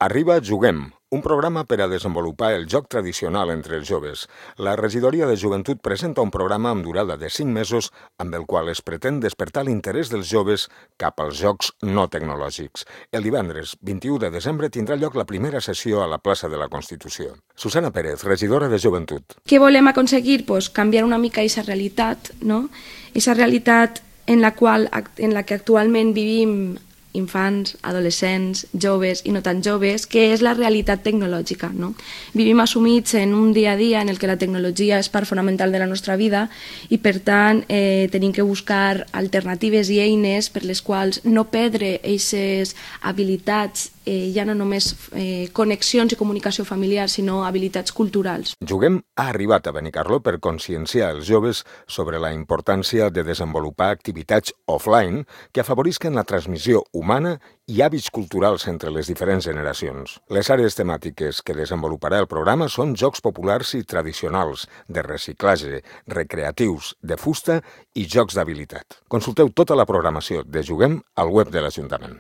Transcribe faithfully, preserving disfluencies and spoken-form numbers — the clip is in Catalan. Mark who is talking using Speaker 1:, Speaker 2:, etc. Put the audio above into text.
Speaker 1: Arriba Juguem, un programa per a desenvolupar el joc tradicional entre els joves. La Regidoria de Joventut presenta un programa amb durada de cinc mesos amb el qual es pretén despertar l'interès dels joves cap als jocs no tecnològics. El divendres vint-i-u de desembre tindrà lloc la primera sessió a la plaça de la Constitució. Susana Pérez, regidora de Joventut.
Speaker 2: Què volem aconseguir? Pues canviar una mica aquesta realitat, no? Aquesta realitat en la qual en la que actualment vivim infants, adolescents, joves i no tan joves, que és la realitat tecnològica. No? Vivim assumits en un dia a dia en el que la tecnologia és part fonamental de la nostra vida i, per tant, eh, tenim que buscar alternatives i eines per les quals no perdre aquestes habilitats, eh, ja no només eh, connexions i comunicació familiar, sinó habilitats culturals.
Speaker 1: Juguem ha arribat a Benicarló per conscienciar els joves sobre la importància de desenvolupar activitats offline que afavorisquen la transmissió humana i hàbits culturals entre les diferents generacions. Les àrees temàtiques que desenvoluparà el programa són jocs populars i tradicionals, de reciclatge, recreatius, de fusta i jocs d'habilitat. Consulteu tota la programació de Juguem al web de l'Ajuntament.